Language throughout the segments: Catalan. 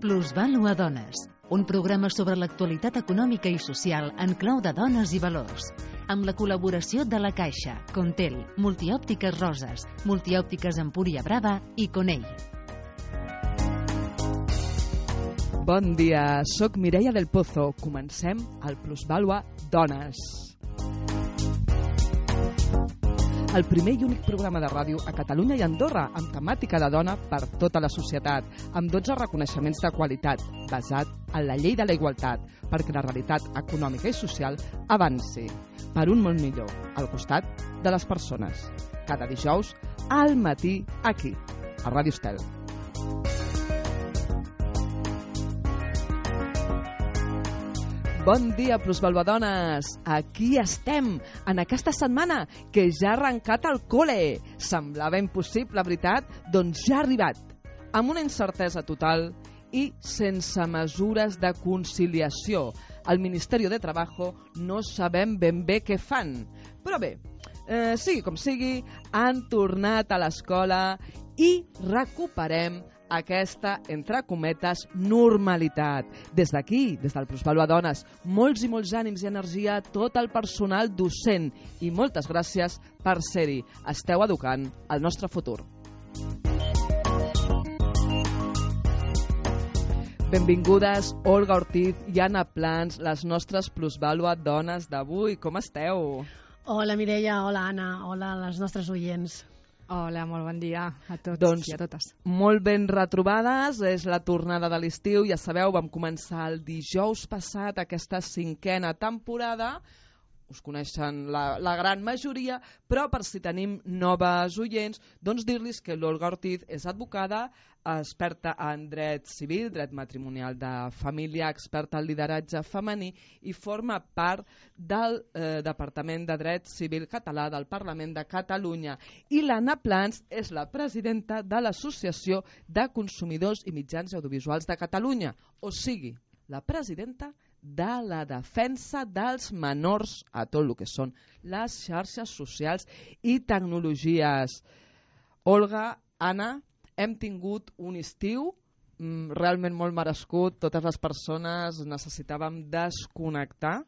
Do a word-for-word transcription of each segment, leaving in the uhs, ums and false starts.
Plusvàlua Dones, un programa sobre l'actualitat econòmica i social en clau de dones i valors, amb la col·laboració de La Caixa, Contel, Multiòptiques Roses, Multiòptiques Empúria Brava i Conell. Bon dia, soc Mireia del Pozo. Comencem el Plusvàlua Dones. El primer i únic programa de ràdio a Catalunya i Andorra amb temàtica de dona per tota la societat, amb dotze reconeixements de qualitat, basat en la llei de la igualtat, perquè la realitat econòmica i social avanci per un món millor, al costat de les persones. Cada dijous, al matí, aquí, a Ràdio Estel. Bon dia, plusvalvadones! Aquí estem, en aquesta setmana que ja ha arrencat el cole. Semblava impossible, veritat? Doncs ja ha arribat, amb una incertesa total i sense mesures de conciliació. Al Ministeri de Trabajo no sabem ben bé què fan. Però bé, eh, sigui com sigui, han tornat a l'escola i recuperem aquesta, entre cometes, normalitat. Des d'aquí, des del Plusvàlua Dones, molts i molts ànims i energia a tot el personal docent i moltes gràcies per ser-hi. Esteu educant el nostre futur. Benvingudes Olga Ortiz i Anna Plans, les nostres Plusvàlua Dones d'avui. Com esteu? Hola Mireia, hola Anna, hola a les nostres oients. Hola, molt bon dia a tots doncs, i a totes. Molt ben retrobades, és la tornada de l'estiu, ja sabeu, vam començar el dijous passat aquesta cinquena temporada, us coneixen la, la gran majoria, però per si tenim noves oients, doncs dir-los que l'Olga Ortiz és advocada, experta en dret civil, dret matrimonial de família, experta en lideratge femení i forma part del eh, Departament de Dret Civil Català del Parlament de Catalunya. I l'Anna Plans és la presidenta de l'Associació de Consumidors i Mitjans Audiovisuals de Catalunya, o sigui, la presidenta de la defensa dels menors a tot el que són les xarxes socials i tecnologies. Olga, Anna, hem tingut un estiu mm, realment molt merescut, totes les persones necessitàvem desconnectar,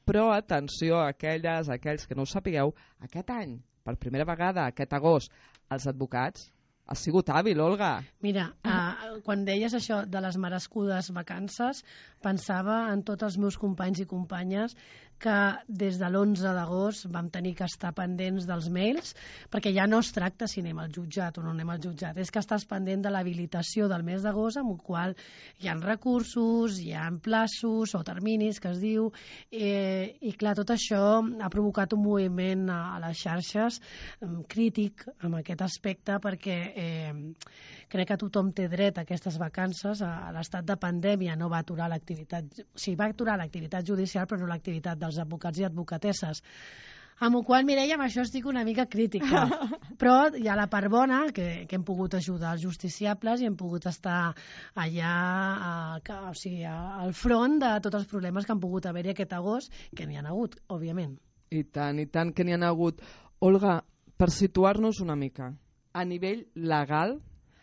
però atenció a aquelles, a aquells que no ho sapigueu, aquest any, per primera vegada, aquest agost, els advocats, ha sigut hàbil, Olga. Mira, uh, quan deies això de les merescudes vacances, pensava en tots els meus companys i companyes que des de l'onze d'agost vam tenir que estar pendents dels mails, perquè ja no es tracta si anem al jutjat o no anem al jutjat, és que estàs pendent de l'habilitació del mes d'agost, amb el qual hi ha recursos, hi ha plaços o terminis, que es diu, eh, i clar, tot això ha provocat un moviment a, a les xarxes um, crític en aquest aspecte, perquè eh, crec que tothom té dret a aquestes vacances. A l'estat de pandèmia no va aturar l'activitat, o sigui, va aturar l'activitat judicial, però no l'activitat dels advocats i advocatesses. Amb la qual, Mireia, amb això estic una mica crítica. Però hi ha la part bona, que, que hem pogut ajudar els justiciables i hem pogut estar allà a, a, o sigui, a, al front de tots els problemes que han pogut haver-hi aquest agost, que n'hi ha hagut, òbviament. I tant, i tant que n'hi ha hagut. Olga, per situar-nos una mica, a nivell legal,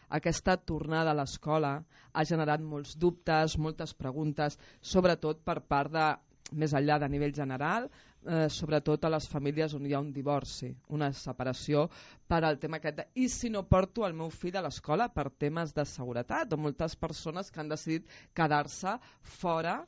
aquesta tornada a l'escola ha generat molts dubtes, moltes preguntes, sobretot per part de, més enllà de nivell general, eh, sobretot a les famílies on hi ha un divorci, una separació per al tema aquest de, i si no porto el meu fill a l'escola per temes de seguretat, o moltes persones que han decidit quedar-se fora,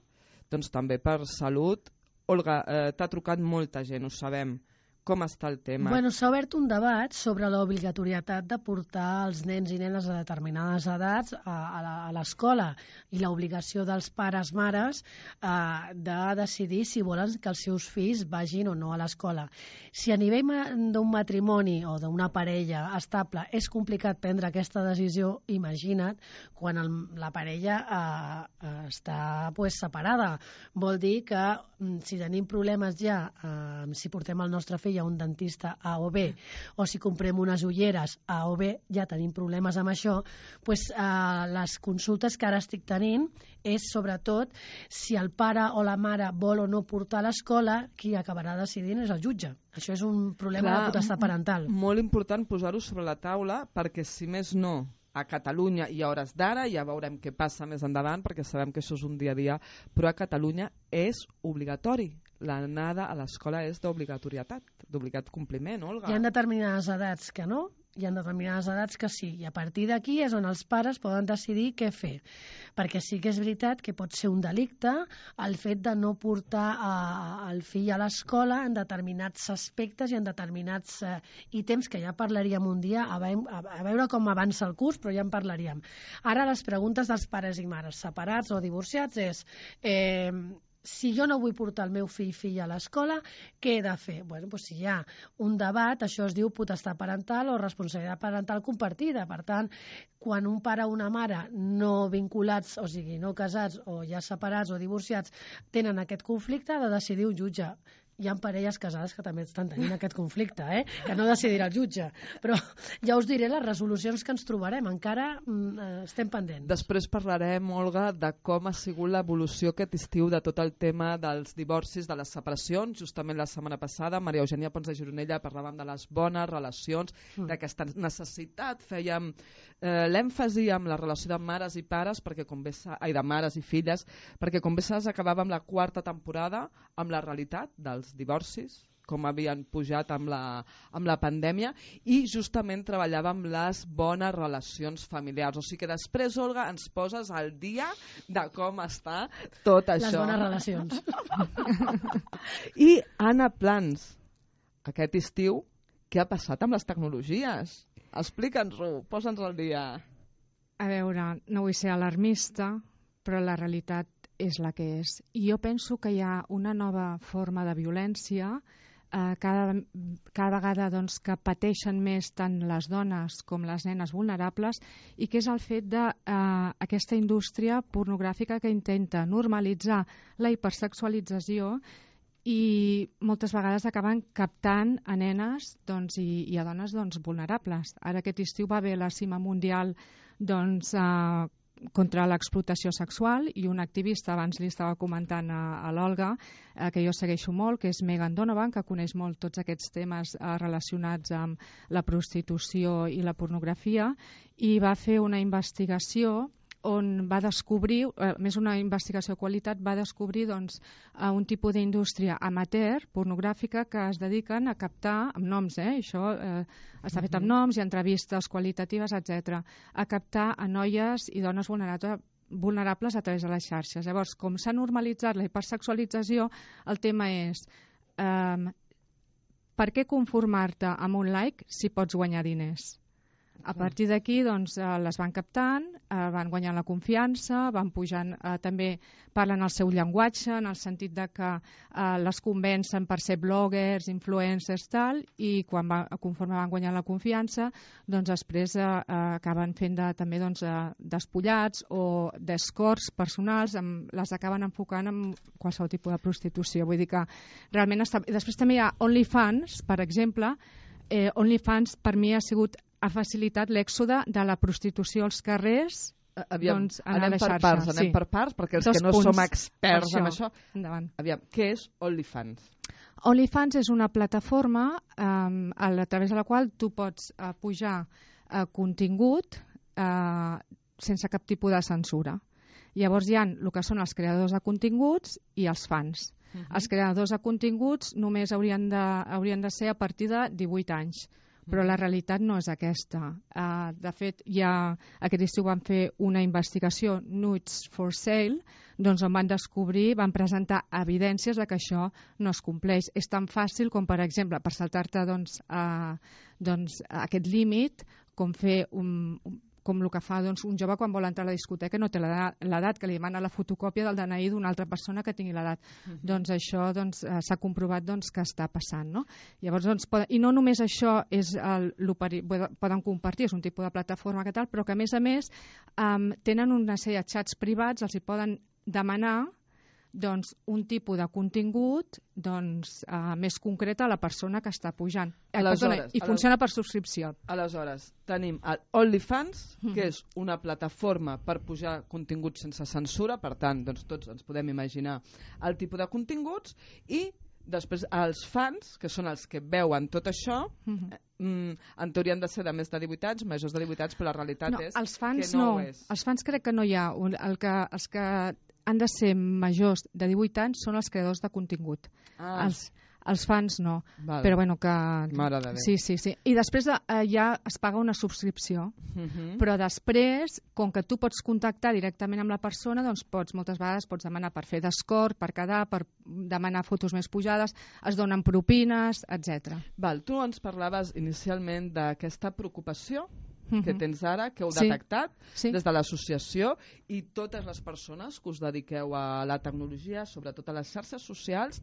doncs també per salut. Olga, eh, t'ha trucat molta gent, ho sabem. Com està el tema? Bueno, s'ha obert un debat sobre l'obligatorietat de portar els nens i nenes a determinades edats a, a l'escola i l'obligació dels pares, mares, eh, de decidir si volen que els seus fills vagin o no a l'escola. Si a nivell d'un matrimoni o d'una parella estable és complicat prendre aquesta decisió, imagina't quan el, la parella eh, està pues, separada. Vol dir que si tenim problemes ja, eh, si portem el nostre fill a un dentista A o B, o si comprem unes ulleres A o B, ja tenim problemes amb això, pues, eh, les consultes que ara estic tenint és sobretot si el pare o la mare vol o no portar a l'escola, qui acabarà decidint és el jutge. Això és un problema Clar, de potestat parental. Molt important posar-ho sobre la taula perquè si més no a Catalunya i a hores d'ara, ja veurem què passa més endavant perquè sabem que això és un dia a dia, però a Catalunya és obligatori. L'anada a l'escola és d'obligatorietat, d'obligat compliment, Olga. Hi ha determinades edats que no, hi ha determinades edats que sí, i a partir d'aquí és on els pares poden decidir què fer, perquè sí que és veritat que pot ser un delicte el fet de no portar a, el fill a l'escola en determinats aspectes i en determinats eh, ítems que ja parlaríem un dia a, ve a, a veure com avança el curs, però ja en parlaríem. Ara les preguntes dels pares i mares separats o divorciats és... Eh, si jo no vull portar el meu fill filla a l'escola, què he de fer? Bueno, doncs si hi ha un debat, això es diu potestat parental o responsabilitat parental compartida. Per tant, quan un pare o una mare no vinculats, o sigui, no casats o ja separats o divorciats, tenen aquest conflicte, ha de decidir un jutge. Hi ha parelles casades que també estan tenint aquest conflicte, eh? Que no decidirà el jutge. Però ja us diré les resolucions que ens trobarem. Encara mm, estem pendents. Després parlarem, Olga, de com ha sigut l'evolució aquest estiu de tot el tema dels divorcis, de les separacions. Justament la setmana passada, Maria Eugènia Pons de Gironella, parlàvem de les bones relacions, mm. d'aquesta necessitat. Fèiem eh, l'èmfasi amb la relació de mares i pares, perquè com bé sa... ai, de mares i filles, perquè com bé saps acabàvem la quarta temporada amb la realitat dels divorcis, com havien pujat amb la, amb la pandèmia, i justament treballàvem les bones relacions familiars. O sigui que després, Olga, ens poses al dia de com està tot això. Les bones relacions. I Anna Plans, aquest estiu, què ha passat amb les tecnologies? Explica'ns-ho, posa'ns al dia. A veure, no vull ser alarmista, però la realitat és la que és. I jo penso que hi ha una nova forma de violència eh, cada, cada vegada doncs, que pateixen més tant les dones com les nenes vulnerables, i que és el fet d'aquesta eh, indústria pornogràfica que intenta normalitzar la hipersexualització i moltes vegades acaben captant a nenes doncs, i, i a dones doncs, vulnerables. Ara aquest estiu va haver la cima mundial doncs, eh, contra l'explotació sexual, i un activista, abans li estava comentant a, a l'Olga, eh, que jo segueixo molt, que és Megan Donovan, que coneix molt tots aquests temes eh, relacionats amb la prostitució i la pornografia, i va fer una investigació on va descobrir, eh, més una investigació de qualitat, va descobrir doncs, eh, un tipus d'indústria amateur, pornogràfica, que es dediquen a captar, amb noms, eh, això eh, està fet amb noms i entrevistes qualitatives, etcètera, a captar a noies i dones vulnerables vulnerables a través de les xarxes. Llavors, com s'ha normalitzat la hipersexualització, el tema és eh, per què conformar-te amb un like si pots guanyar diners? A partir d'aquí doncs, eh, les van captant, eh, van guanyant la confiança, van pujant, eh, també parlen el seu llenguatge, en el sentit de que eh, les convencen per ser bloggers, influencers, tal, i quan va, conforme van guanyant la confiança, doncs després eh, eh, acaben fent de, també doncs, eh, despullats o d'escorts personals, amb, les acaben enfocant en qualsevol tipus de prostitució. Vull dir que realment està... Després també hi ha OnlyFans, per exemple. eh, OnlyFans per mi ha sigut ha facilitat l'èxode de la prostitució als carrers. Aviam, doncs, anem per xarxa, parts, anem sí. per parts, perquè els Dos que no punts som experts això. en això... Endavant. Aviam, què és OnlyFans? OnlyFans és una plataforma um, a, la, a través de la qual tu pots uh, pujar uh, contingut uh, sense cap tipus de censura. Llavors hi ha el que són els creadors de continguts i els fans. Uh-huh. Els creadors de continguts només haurien de, haurien de ser a partir de divuit anys. Però la realitat no és aquesta. Uh, de fet, ja aquest estiu van fer una investigació, Nudes for Sale, doncs on van descobrir, van presentar evidències de que això no es compleix. És tan fàcil com, per exemple, per saltar-te doncs, uh, doncs, aquest límit, com fer un, un com el que fa doncs, un jove quan vol entrar a la discoteca no té l'edat, que li demana la fotocòpia del D N I d'una altra persona que tingui l'edat. Uh-huh. Doncs això doncs, s'ha comprovat doncs, que està passant. No? Llavors, doncs, poden, i no només això és el, el peri, poden compartir, és un tipus de plataforma que tal, però que a més a més um, tenen una sèrie de xats privats, els hi poden demanar doncs, un tipus de contingut doncs, uh, més concret a la persona que està pujant. Eh, perdona, I funciona per subscripció. Aleshores, tenim el OnlyFans, que és una plataforma per pujar continguts sense censura, per tant, doncs, tots ens podem imaginar el tipus de continguts, i Després, els fans, que són els que veuen tot això, Mhm. mm, en teoria han de ser de més de divuit anys, majors de divuit anys, però la realitat No, és els fans que no, no. ho és. Els fans crec que no hi ha. Un- El que, els que han de ser majors de divuit anys són els creadors de contingut. Ah, Els, els fans no. val. Però bueno, que... Mare de Déu. Sí, sí, sí. I després eh, ja es paga una subscripció. Mhm. Però després, com que tu pots contactar directament amb la persona, doncs pots, moltes vegades pots demanar per fer d'escort, per quedar, per demanar fotos més pujades, es donen propines, etcètera. Val, tu ens parlaves inicialment d'aquesta preocupació que Mhm. tens ara, que heu Sí. detectat Sí. des de l'associació, i totes les persones que us dediqueu a la tecnologia, sobretot a les xarxes socials,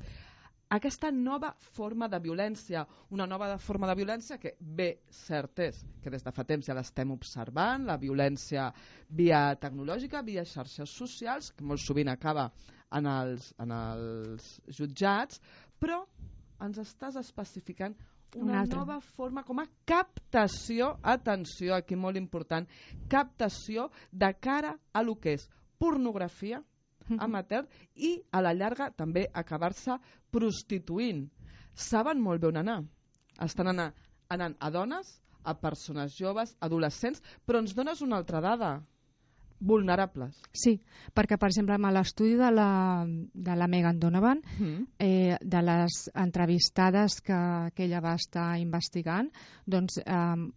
aquesta nova forma de violència, una nova forma de violència que bé, cert és, que des de fa temps ja l'estem observant, la violència via tecnològica, via xarxes socials, que molt sovint acaba en els, en els jutjats, però ens estàs especificant una, Una altra. nova forma com a captació, atenció, aquí molt important, captació de cara a lo que és pornografia amateur i a la llarga també acabar-se prostituint. Saben molt bé on anar. Estan anant, anant a dones, a persones joves, adolescents, però ens dones una altra dada. Vulnerables. Sí, perquè, per exemple, amb l'estudi de la, de la Megan Donovan, Mm. eh, de les entrevistades que, que ella va estar investigant, doncs eh,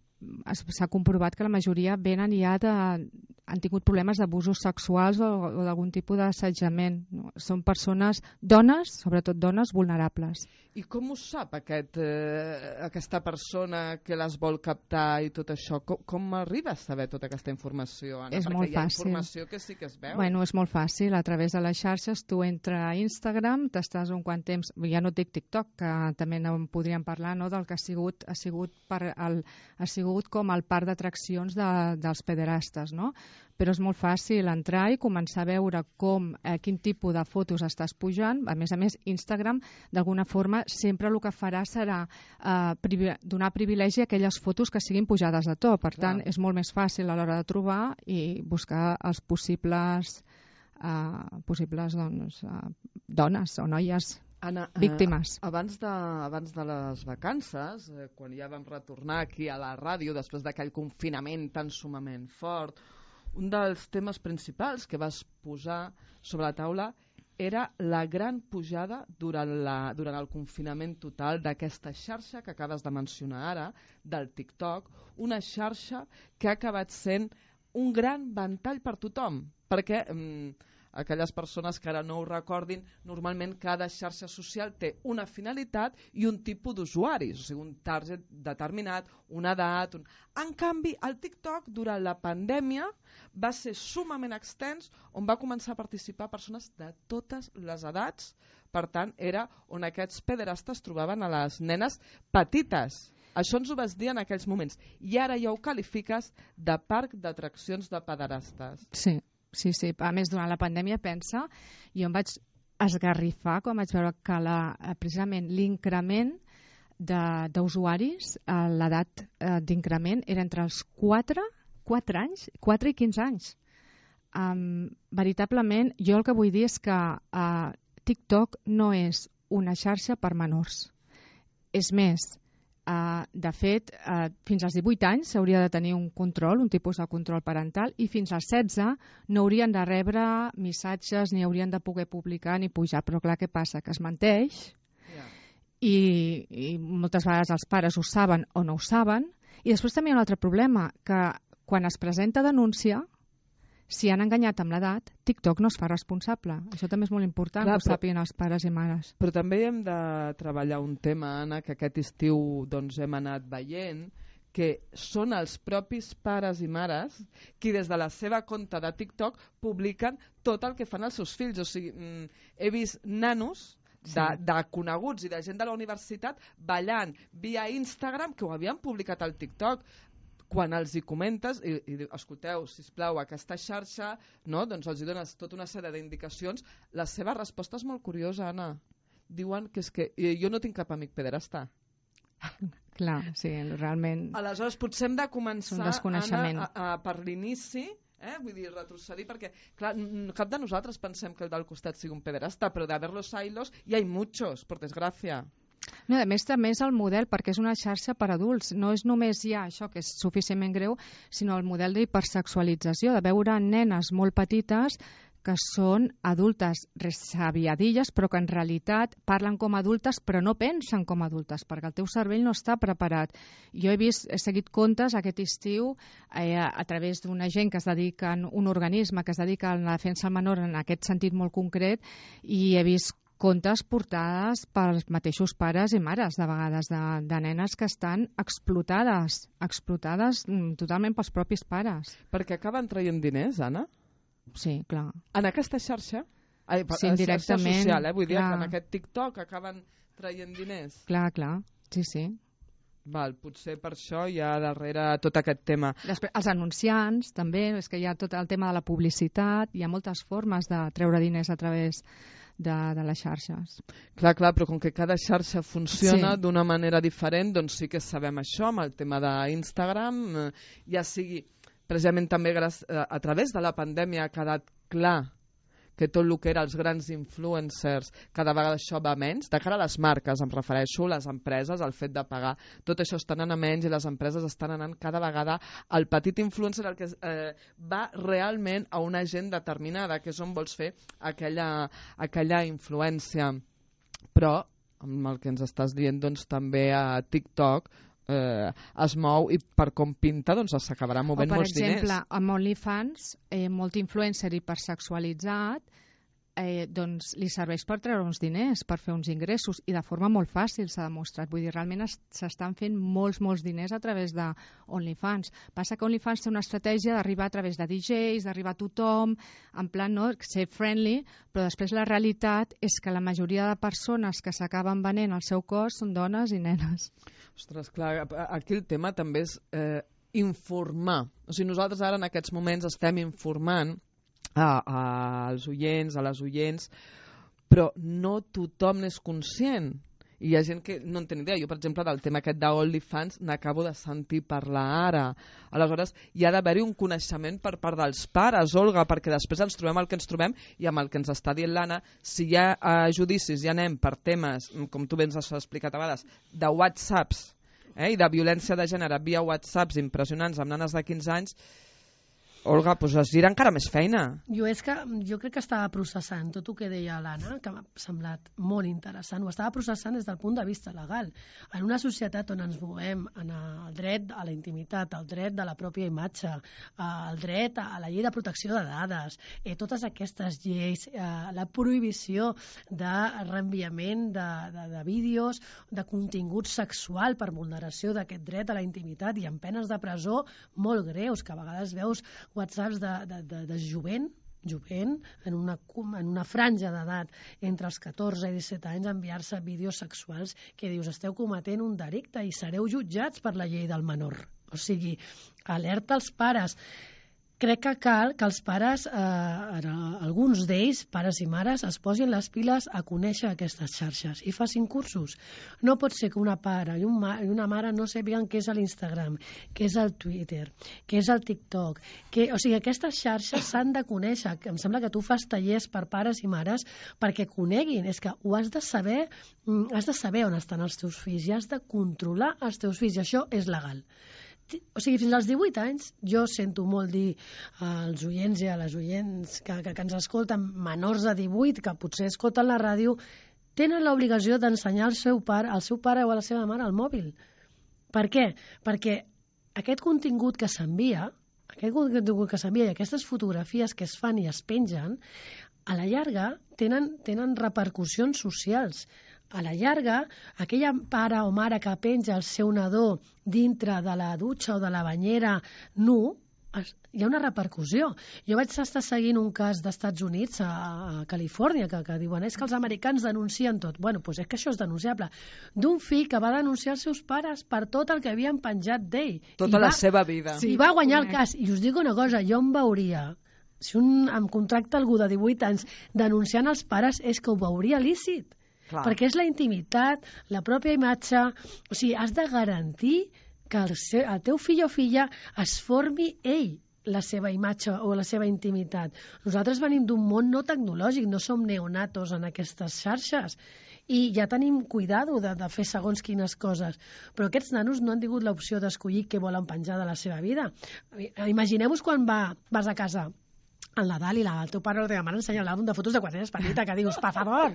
es- s'ha comprovat que la majoria venen ja de, han tingut problemes d'abusos sexuals o, o d'algun tipus d'assetjament. No? Són persones, dones, sobretot dones, vulnerables. I com ho sap aquest, eh, aquesta persona que les vol captar i tot això? Com, com arriba a saber tota aquesta informació, Anna? És Perquè molt hi ha fàcil. informació que sí que es veu. Bueno, és molt fàcil, a través de les xarxes tu entres a Instagram, t'estàs un quant temps, ja no et dic TikTok, que també en podríem parlar, no?, del que ha sigut, ha sigut, per el, ha sigut com el parc d'atraccions de, dels pederastes, no? Però és molt fàcil entrar i començar a veure com, eh, quin tipus de fotos estàs pujant. A més a més, Instagram, d'alguna forma, sempre el que farà serà eh, privi donar privilegi a aquelles fotos que siguin pujades de to. Per Clar. tant, és molt més fàcil a l'hora de trobar i buscar els possibles, eh, possibles doncs, eh, dones o noies Anna, eh, víctimes. abans, de, abans de les vacances, eh, quan ja vam retornar aquí a la ràdio, després d'aquell confinament tan sumament fort, un dels temes principals que vas posar sobre la taula era la gran pujada durant, la, durant el confinament total d'aquesta xarxa que acabes de mencionar ara, del TikTok, una xarxa que ha acabat sent un gran ventall per tothom, perquè mm, aquelles persones que ara no ho recordin, normalment cada xarxa social té una finalitat i un tipus d'usuaris, o sigui, un target determinat, una edat... Un... En canvi, el TikTok, durant la pandèmia, va ser sumament extens, on va començar a participar persones de totes les edats. Per tant, era on aquests pederastes trobaven a les nenes petites. Això ens ho vas dir en aquells moments. I ara ja ho qualifiques de parc d'atraccions de pederastes. Sí, sí, sí. A més, durant la pandèmia, pensa, jo em vaig esgarrifar quan vaig veure que la, precisament l'increment d'usuaris, l'edat eh, d'increment era entre els quatre, quatre anys, quatre i quinze anys. Um, veritablement, jo el que vull dir és que uh, TikTok no és una xarxa per menors. És més, uh, de fet, uh, fins als divuit anys s'hauria de tenir un control, un tipus de control parental, i fins als setze no haurien de rebre missatges, ni haurien de poder publicar ni pujar. Però clar, què passa? Que es menteix, Yeah. i, i moltes vegades els pares ho saben o no ho saben. I després també hi ha un altre problema, que quan es presenta denúncia, si han enganyat amb l'edat, TikTok no es fa responsable. Això també és molt important, Clar, que ho però- sàpiguen els pares i mares. Però també hem de treballar un tema, Anna, que aquest estiu doncs, hem anat veient, que són els propis pares i mares qui des de la seva compte de TikTok publiquen tot el que fan els seus fills. O sigui, mm, he vist nanos de, Sí. de coneguts i de gent de la universitat ballant via Instagram que ho havien publicat al TikTok. Quan els hi comentes i, i diu, escolteu, sisplau, aquesta xarxa, no? Doncs els hi dones tota una sèrie d'indicacions. La seva resposta és molt curiosa, Anna. Diuen que és que eh, jo no tinc cap amic pederasta. Clar, sí, realment... Aleshores, potser hem de És un començar, desconeixement. Anna, a, a, per l'inici, Eh? Vull dir, retrocedir, perquè clar, cap de nosaltres pensem que el del costat sigui un pederasta, però de ver-los ailos hi ha muchos, per desgràcia. No, a més, també és el model, perquè és una xarxa per adults. No és només ja això, que és suficientment greu, sinó el model d'hipersexualització, de veure nenes molt petites que són adultes resaviadilles, però que en realitat parlen com adultes, però no pensen com adultes, perquè el teu cervell no està preparat. Jo he vist, he seguit comptes aquest estiu eh, a través d'una gent que es dedica, un organisme que es dedica a la defensa del menor en aquest sentit molt concret, i he vist contes portades pels mateixos pares i mares, de vegades, de, de nenes que estan explotades, explotades totalment pels propis pares. Perquè acaben traient diners, Anna? Sí, clar. En aquesta xarxa? Ai, sí, indirectament. Xarxa social, eh? Vull dir clar. que en aquest TikTok acaben traient diners. Clar, clar, sí, sí. Val, potser per això hi ha darrere tot aquest tema. Després, els anunciants, també, és que hi ha tot el tema de la publicitat, hi ha moltes formes de treure diners a través de, de les xarxes. Clar, clar, però com que cada xarxa funciona sí. d'una manera diferent, doncs sí que sabem això amb el tema d'Instagram, ja sigui precisament també a través de la pandèmia ha quedat clar que tot el que era els grans influencers, cada vegada això va menys, de cara a les marques, em refereixo, les empreses, el fet de pagar, tot això està anant a menys i les empreses estan anant cada vegada al petit influencer, el que eh, va realment a una gent determinada, que és on vols fer aquella, aquella influència. Però, amb el que ens estàs dient, doncs també a TikTok Eh, es mou i per com pinta doncs s'acabarà movent molts diners. O per exemple, amb OnlyFans, eh, molt influencer hipersexualitzat eh, doncs li serveix per treure uns diners, per fer uns ingressos, i de forma molt fàcil s'ha demostrat. Vull dir, realment s'estan fent molts, molts diners a través de OnlyFans. Passa que OnlyFans té una estratègia d'arribar a través de D Js, d'arribar a tothom, en plan, no?, ser friendly, però després la realitat és que la majoria de persones que s'acaben venent el seu cos són dones i nenes. Ostres, clar, aquí el tema també és eh, informar. O sigui, nosaltres ara en aquests moments estem informant a, a, als oients, a les oients, però no tothom n'és conscient. I hi ha gent que no en té ni idea. Jo, per exemple, del tema aquest d'OnlyFans n'acabo de sentir parlar ara. Aleshores, hi ha d'haver-hi un coneixement per part dels pares, Olga, perquè després ens trobem el que ens trobem i amb el que ens està dient l'Anna, si hi ha eh, judicis, ja anem per temes, com tu bé ens has explicat a vegades, de whatsapps eh, i de violència de gènere via whatsapps impressionants amb nanes de quinze anys, Olga, doncs es gira encara més feina. Jo és que jo crec que estava processant tot el que deia l'Anna, que m'ha semblat molt interessant. Ho estava processant des del punt de vista legal. En una societat on ens movem en el dret a la intimitat, el dret de la pròpia imatge, el dret a la llei de protecció de dades, eh, totes aquestes lleis, eh, la prohibició de reenviament de, de, de vídeos, de contingut sexual per vulneració d'aquest dret a la intimitat i amb penes de presó molt greus, que a vegades veus whatsapps de, de, de, de jovent, jovent en, una, en una franja d'edat entre els catorze i disset anys enviar-se vídeos sexuals que dius esteu cometent un delicte i sereu jutjats per la llei del menor. O sigui, alerta als pares. Crec que cal que els pares, eh, alguns d'ells, pares i mares, es posin les piles a conèixer aquestes xarxes i facin cursos. No pot ser que una pare i, un ma i una mare no sàpiguen què és l'Instagram, què és el Twitter, què és el TikTok. Que, o sigui, aquestes xarxes s'han de conèixer. Em sembla que tu fas tallers per pares i mares perquè coneguin. És que ho has de saber, has de saber on estan els teus fills i has de controlar els teus fills. I això és legal. O sigui, fins als divuit anys, jo sento molt dir als oients i a les oients que, que, que ens escolten, menors de divuit, que potser escolten la ràdio, tenen l'obligació d'ensenyar al seu pare, al seu pare o a la seva mare el mòbil. Per què? Perquè aquest contingut que s'envia, aquest contingut que s'envia i aquestes fotografies que es fan i es pengen, a la llarga tenen, tenen repercussions socials. A la llarga, aquella pare o mare que penja el seu nadó dintre de la dutxa o de la banyera nu, hi ha una repercussió. Jo vaig estar seguint un cas d'Estats Units, a Califòrnia, que, que diuen és que els americans denuncien tot. Bueno, doncs és que això és denunciable. D'un fill que va denunciar els seus pares per tot el que havien penjat d'ell. Tota I la va, seva vida. Sí, I va guanyar el cas. I us dic una cosa, jo em veuria... Si un em contracta algú de divuit anys denunciant els pares, és que ho veuria lícit. Clar. Perquè és la intimitat, la pròpia imatge... O sigui, has de garantir que el, seu, el teu fill o filla es formi ell. la seva imatge o la seva intimitat. Nosaltres venim d'un món no tecnològic, no som neonatos en aquestes xarxes i ja tenim cuidado de, de fer segons quines coses. Però aquests nanos no han tingut l'opció d'escollir què volen penjar de la seva vida. Imagineu-vos quan va, vas a casa al Nadal i la, el teu pare o la teva mare ensenya l'àlbum de fotos de quan eres petita, que dius, per favor.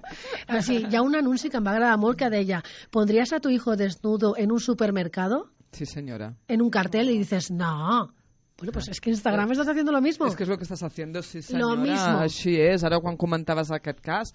O sigui, hi ha un anunci que em va agradar molt que deia, ¿pondrías a tu hijo desnudo en un supermercado? Sí, señora. En un cartel y dices, no. Bueno, pues es que Instagram estás haciendo lo mismo. Es que es lo que estás haciendo, sí, senyora. Lo mismo. Així és. Ara, quan comentaves aquest cas,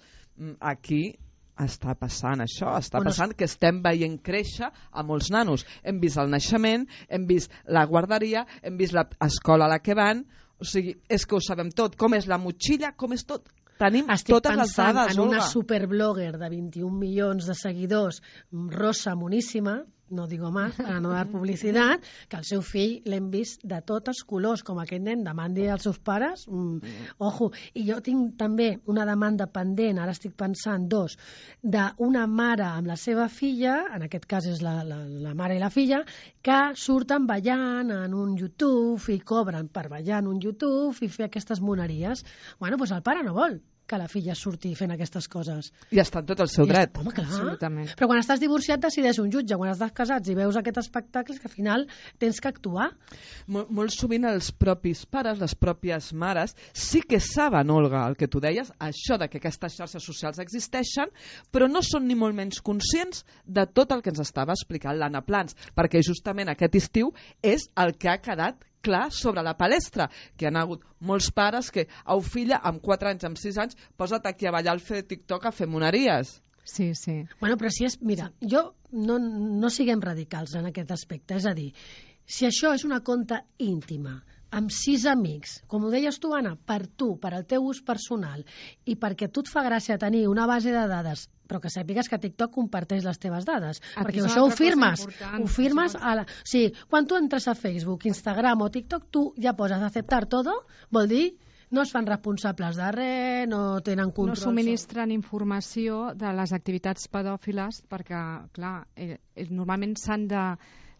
aquí està passant això, està bueno, passant que estem veient créixer a molts nanos. Hem vist el naixement, hem vist la guarderia, hem vist l'escola a la que van. O sigui, és que ho sabem tot. Com és la motxilla, com és tot. Tenim Estic totes les pensant dades, en una Olga. superblogger de vint-i-un milions de seguidors, rosa moníssima, no digo más, para no dar publicitat, que el seu fill l'hem vist de tots colors, com aquest nen demandi als seus pares. Mm, ojo, i jo tinc també una demanda pendent, ara estic pensant dos, d'una mare amb la seva filla, en aquest cas és la, la, la mare i la filla, que surten ballant en un YouTube i cobren per ballar en un YouTube i fer aquestes moneries. Bueno, doncs el pare no vol que la filla surti fent aquestes coses. I està en tot el seu I dret. Està, home, clar. Absolutament. Però quan estàs divorciat decideix un jutge, quan estàs casats i veus aquests espectacles que al final tens que actuar. Mol, molt sovint els propis pares, les pròpies mares, sí que saben, Olga, el que tu deies, això de que aquestes xarxes socials existeixen, però no són ni molt menys conscients de tot el que ens estava explicant l'Anna Plans, perquè justament aquest estiu és el que ha quedat clar sobre la palestra, que han hagut molts pares que, au filla, amb quatre anys, amb sis anys, posa't aquí a ballar al fer de TikTok a fer moneries. Sí, sí. Bueno, però si és... Mira, jo no, no siguem radicals en aquest aspecte, és a dir, si això és una conta íntima, amb sis amics, com ho deies tu, Anna, per tu, per al teu ús personal, i perquè a tu et fa gràcia tenir una base de dades, però que sàpigues que TikTok comparteix les teves dades, Aquí perquè és això ho una altra cosa firmes, important, ho firmes això- a la... O sigui, quan tu entres a Facebook, Instagram o TikTok, tu ja poses acceptar todo, vol dir no es fan responsables de res, no tenen No control. subministren informació de les activitats pedòfiles perquè, clar, eh, eh, normalment s'han de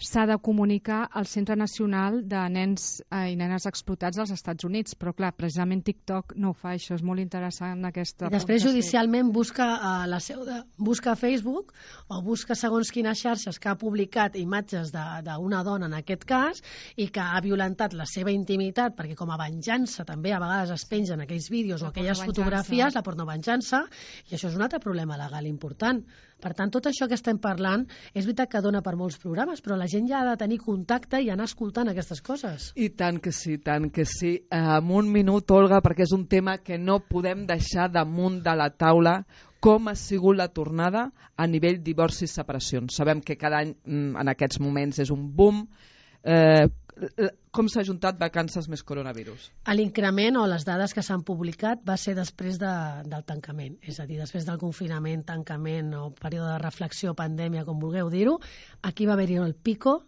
s'ha de comunicar al Centre Nacional de Nens eh, i Nenes Explotats als Estats Units, però clar, precisament TikTok no ho fa, això és molt interessant aquesta... I després judicialment busca a la seu de, busca a Facebook o busca segons quines xarxes que ha publicat imatges d'una dona en aquest cas i que ha violentat la seva intimitat, perquè com a venjança també a vegades es pengen aquells vídeos o La aquelles pornovenjança. fotografies, la pornovenjança, i això és un altre problema legal important. Per tant, tot això que estem parlant és veritat que dona per molts programes, però la gent ja ha de tenir contacte i anar escoltant aquestes coses. I tant que sí, tant que sí. Eh, en un minut, Olga, perquè és un tema que no podem deixar damunt de la taula, com ha sigut la tornada a nivell divorcis i separacions. Sabem que cada any en aquests moments és un boom. Eh, com s'ha juntat vacances més coronavirus? L'increment o les dades que s'han publicat va ser després de, del tancament, és a dir, després del confinament, tancament o període de reflexió, pandèmia, com vulgueu dir-ho, aquí va haver-hi el pico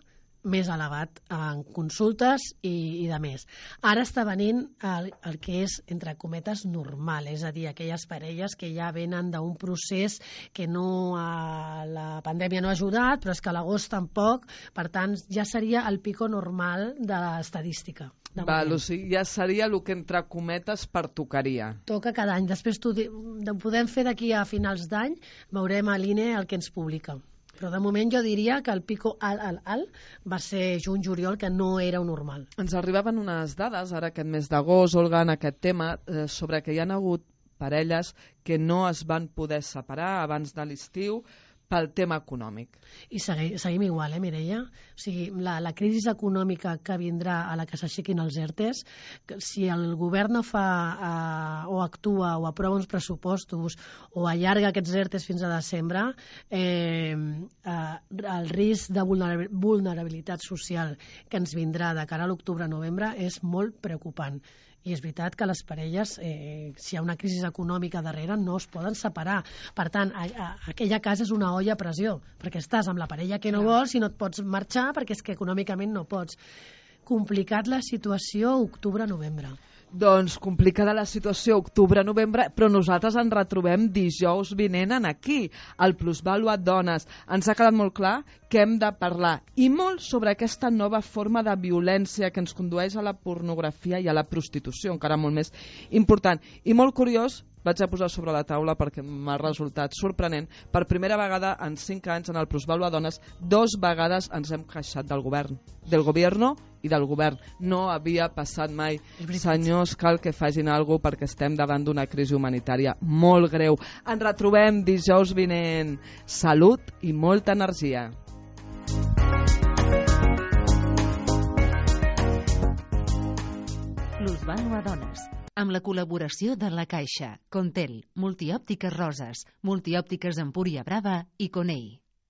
més elevat en consultes i, i de més. Ara està venint el, el que és, entre cometes, normal, és a dir, aquelles parelles que ja venen d'un procés que no a, la pandèmia no ha ajudat, però és que a l'agost tampoc, per tant, ja seria el pico normal de l'estadística. Val, o sigui, ja seria el que entre cometes pertocaria. Toca cada any. Després t'ho di- ho podem fer d'aquí a finals d'any, veurem a l'I N E el que ens publica. Però de moment jo diria que el pico alt, alt, alt va ser juny-juliol, que no era un normal. Ens arribaven unes dades, ara aquest mes d'agost, Olga, en aquest tema, eh, sobre que hi ha hagut parelles que no es van poder separar abans de l'estiu pel tema econòmic. I segui, seguim igual, eh, Mireia? O sigui, la, la crisi econòmica que vindrà a la que s'aixequin els ERTEs, que si el govern no fa eh, o actua o aprova uns pressupostos o allarga aquests ERTEs fins a desembre, eh, eh, el risc de vulnerabil- vulnerabilitat social que ens vindrà de cara a l'octubre-novembre és molt preocupant. I és veritat que les parelles, eh, si hi ha una crisi econòmica darrere, no es poden separar. Per tant, a, a, aquella casa és una olla a pressió, perquè estàs amb la parella que no vols i no et pots marxar perquè és que econòmicament no pots. Complicat la situació octubre-novembre. Doncs complicada la situació octubre-novembre, però nosaltres ens retrobem dijous vinent en aquí, al Plusvàlua Dones. Ens ha quedat molt clar que hem de parlar, i molt, sobre aquesta nova forma de violència que ens condueix a la pornografia i a la prostitució, encara molt més important. I molt curiós, vaig a posar sobre la taula perquè m'ha resultat sorprenent, per primera vegada en cinc anys en el Plusvàlua Dones, dos vegades ens hem queixat del govern, del gobierno i del govern. No havia passat mai. Senyors, cal que facin alguna cosa perquè estem davant d'una crisi humanitària molt greu. Ens retrobem dijous vinent. Salut i molta energia. Plusvàlua Dones, amb la col·laboració de La Caixa, Contel, Multiòptiques Roses, Multiòptiques Empúria Brava i Conei.